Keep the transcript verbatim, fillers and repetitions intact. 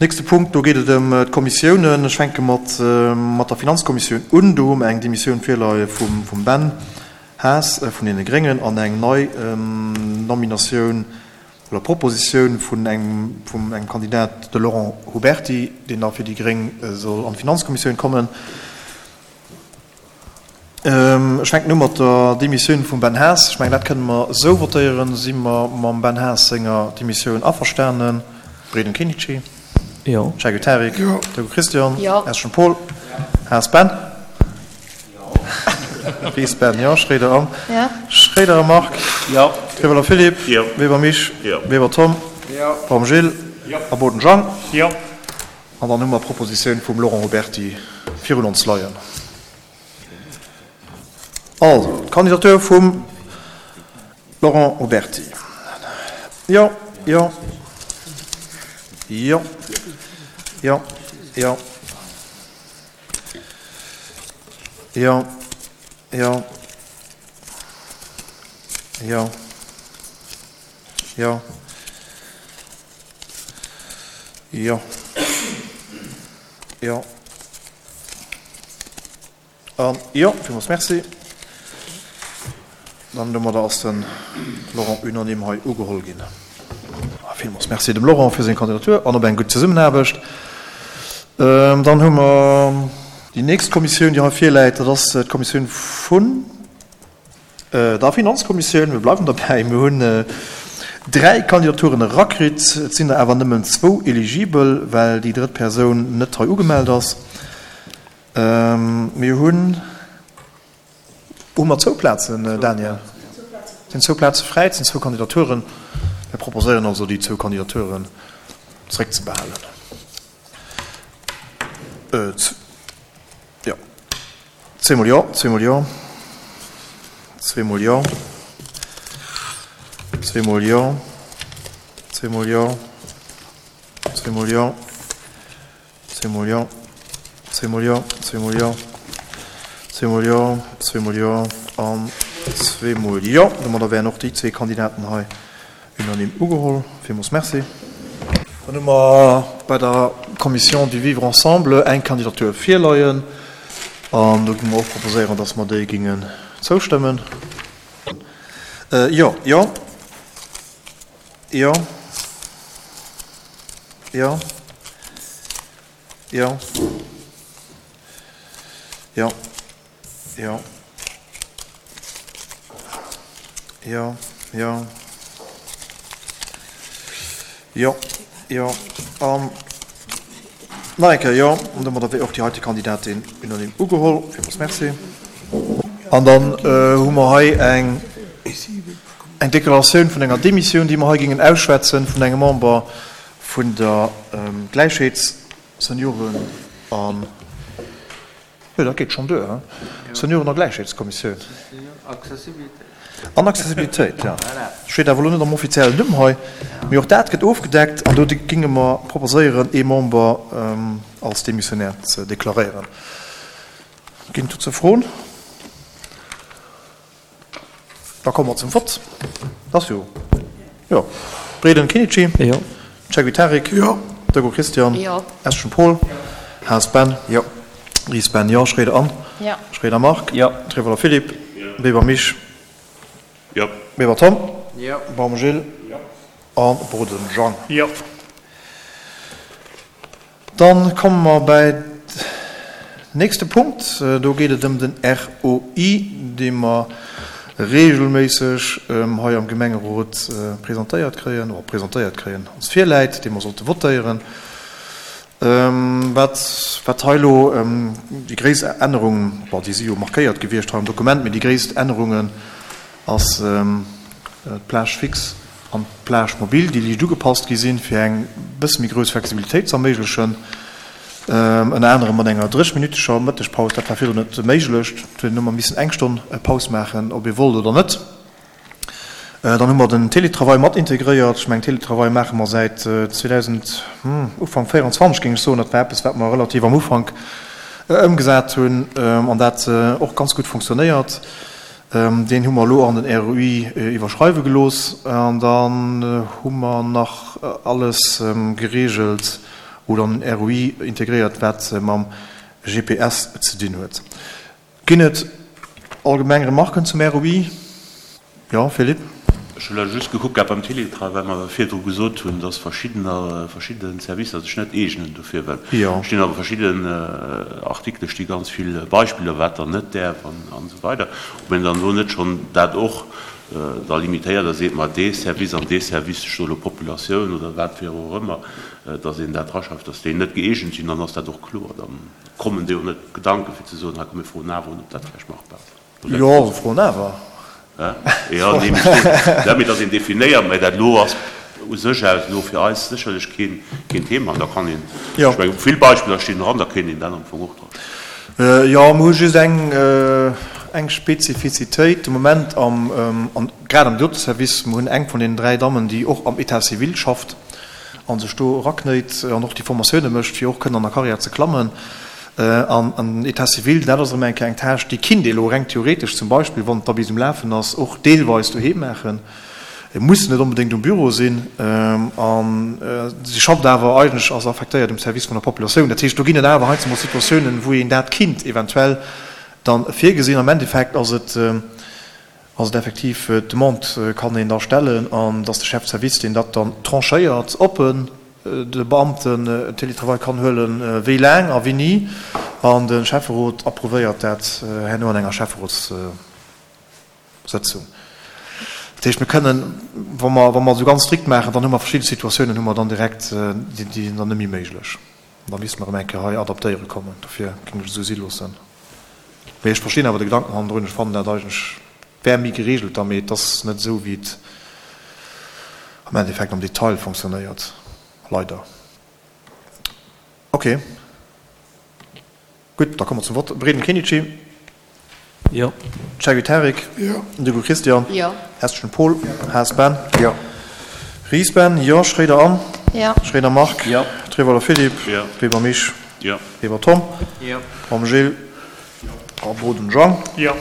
Nächste Punkt, do geet et ëm d'Kommissiounen. Ech fänke mat mat der Finanzkommissioun un. Do hu mer eng Demissioun virleie vum vum Ben Haas vun deene Gréngen an eng nei Nominatioun oder Propositioun vun engem vum engem Kandidat, de Laurent Huberti, deen da fir déi Gréng soll an d'Finanzkommissioun kommen. Ech fänken u mat der Demissioun vum Ben Haas. Ech mengen, dat kënne mer esou votéieren. Si mer mam Ben Haas senger Demissioun averstanen? Breden Kenichi? Jo. Shaggy Tarik? Jo. Doggo Christian? Jo. Eschen Paul? Haas Ben? Ries Ben, jo. Schréider Anne? Jo. Schréider Marc? Jo. Trieweler Philippe? Jo. Weber Mich? Jo. Weber Tom? Jo. Baum Gilles? Jo. A Boden Jean? Jo. An dann hu mer d'Propositioun vum Laurent Huberti virun ons leien. Also, d'Kandidatur vum Laurent Huberti. Jo, jo, jo, jo, jo, jo, jo, jo, jo, jo, jo an jo. Villmools merci. Dann domadder ass de Laurent unanime hei ugeholl ginn. Villmools merci dem Laurent fir seng Kandidatur an op eng gutt Zesummenaarbecht. Dann hu mer déi nächst Kommissioun, déi hei virläit, dat ass d'Kommissioun vun der Finanzkommissioun. Mir bleiwen derbäi, mir hunn dräi Kandidaturen erakritt. Et sinn der awer nëmmen zwou eligibel, well déi drëtt Persoun net hei ugemellt ass. Mir hunn, hu mer zwou Plazen, Daniel? Et sinn zwou Plaze fräi, et sinn zwou Kandidaturen. Mir proposéieren also, déi zwou Kandidaturen zréckzebehalen. Jo, zweemol jo, zweemol jo, zweemol jo, zweemol jo, zweemol jo, zweemol jo, zweemol jo, zweemol jo, zweemol jo, zweemol jo, zweemol jo an zweemol jo. Domadder wären och déi zwee Kandidaten hei unanime ugeholl. Villmools merci. Dann hu mer bei der Commission du Vivre ensemble eng Kandidatur virleien an do géinge mer och proposéieren, dass mer déi géingen zoustëmmen. Jo, jo, jo, jo, jo, jo, jo, jo, jo, jo, jo an nach eng Kéier jo. An domadder wier och déi heite Kandidatin unanime ugeholl. Villmools merci. An dann hu mer hei eng eng Deklaratioun vun enger Demissioun, déi mer hei géingen ausschwätzen, vun engem Member vun der Gläichheets-, Senioren an, jo, dat geet schonn duer, he? Senioren a Gläichheetskommissioun. An Accessibilitéit, jo. Steet awer elo net am offiziellen Numm hei, mee och dat gëtt ofgedeckt an do géinge mer proposéieren, ee Member als Demissionnaire ze deklaréieren. Ginn et dozou Froen? Da komme mer zum Vott. Dat ass jo, jo. Breden Kenichi? Jo. Cegwi Tarik? Jo. Doggo Christian? Jo. Eschen Paul? Haas Ben? Jo. Ries Ben, jo. Schroeder Anne? Jo. Schroeder Marc? Jo. Trevoller Philippe? Jo. Weber Mich? Jo. Weber Tom? Jo. Baum Gilles? Jo. An Boden Jean? Jo. Dann komme mer bäi nächste Punkt. Do geet et ëm den R O I, dee mer regelméisseg hei am Gemengerot presentéiert kréien, oder presentéiert kréien, ons virläit, dee mer sollte votéieren. Wat, wat hei elo déi gréisst Ännerung, bon, déi si jo markéiert gewiescht hei am Dokument, mee déi gréisst Ännerungen ass d'Plage fixe an d'Plage mobile, déi liicht ugepasst gi sinn, fir eng bësse méi grouss Flexibilitéit ze erméiglechen. Ënner anerem mat enger dréchminütteger Mëttegpaus, dat war virdrun net méiglech. Do huet een ëmmer missen eng Stonn Paus maachen, ob ee wollt oder net. Dann hu mer den Télétravail mat integréiert. Ech mengen, Télétravail maache mer säit zweedausend, Ufank véierundzwanzeg, géing ech soen. Dat war eppes, wat mer relativ am Ufank ëmgesat hunn an dat och ganz gutt funktionéiert. Deen hu mer elo an den R O I iwwerschreiwe gelooss. An dann hu mer nach alles geregelt oder an den R O I integréiert, wat mam G P S ze dinn huet. Ginn et allgemeng Remarken zum R O I? Jo, Philippe? Ech hu just gekuckt gehat beim Télétravail, well mer virdru gesot hunn, dass verschiddener, verschidde Servicer sech net eegnen dofir, well Jo. stinn awer verschidden Artikele sti ganz vill Beispiller, wat dann net däerf an an esou weider. Ob een dann do net schonn dat och da limitéiert a seet, ma dee Service an dee Service, ech soe lo Populatioun oder wat fir och ëmmer, dass een dat draschreift, dass déi net gëeegent sinn, dann ass dat och kloer. Dann kommen déi och net Gedanken, fir ze soen, hei komm mir froen awer un, ob dat vläicht machbar ass. Jo, se froen awer. Jo, nee, mee ech soen, dass een definéiert, mä dat elo ass u sech aus elo fir eis sécherlech keen, keen Thema. An da kann een, Jo. ech mengen, vill Beispiller stinn dran, da kéint een dat am Fong och draschreiwen. Jo, mir hu just eng, eng Spezifizitéit de Moment am, an grad am Doteservice. Mir hunn eng vun deenen dräi Dammen, déi och am État civil schafft a sech do eraknéit an och déi Formatioune mécht, fir och kënnen an der Karriär ze klammen. An den État civil, dat ass erëm eng Kéier eng Tâche, déi kinnt ee elo reng theoretesch zum Beispill, wann et da bis um Lafen ass, och deelweis doheem maachen. Et muss net onbedéngt um Büro sinn. A si schafft awer eigentlech, ass affektéiert um Service vun der Populatioun. Dat heescht, do ginn et awer heiansdo mol Situatiounen, wou een dat kinnt eventuell dann virgesinn. Am Endeffekt ass et, ass et effektiv, d'Demande kann een da stellen an dass de Chef de service, deen dat dann tranchéiert, ob en de Beamten en Télétravail kann huelen, wéi laang a wéini, an de Schäfferot approuvéiert dat herno an enger Schäfferotssëtzung. Dat heescht, mir kënnen, wa mer, wa mer esou ganz strikt maachen, dann hu mer verschidde Situatiounen hu mer dann direkt, déi, déi sinn dann net méi méiglech. An da misste mer erëm eng Kéier hei adaptéiere kommen. Dofir géing ech et esou si loossen. Mee ech verstinn awer de Gedanken hannendrun. Ech fannen dat eigentlech wär méi geregelt da, mee et ass net esou, wéi et am Endeffekt am Detail fonctionnéiert, leider. Ok, gutt, da komme mer zum Vott. Breden Kenichi. Jo. Cherry Tarik. Jo. Dugo Christian. Jo. Hestgen Paul. Haas Ben. Jo. Ries Ben. Jo. Schroeder Anne. Jo. Schroeder Marc. Jo. Trewolder Philippe. Jo. Weber Mich. Jo. Weber Tom. Jo. Baum Gilles. A Boden Jean. Jo.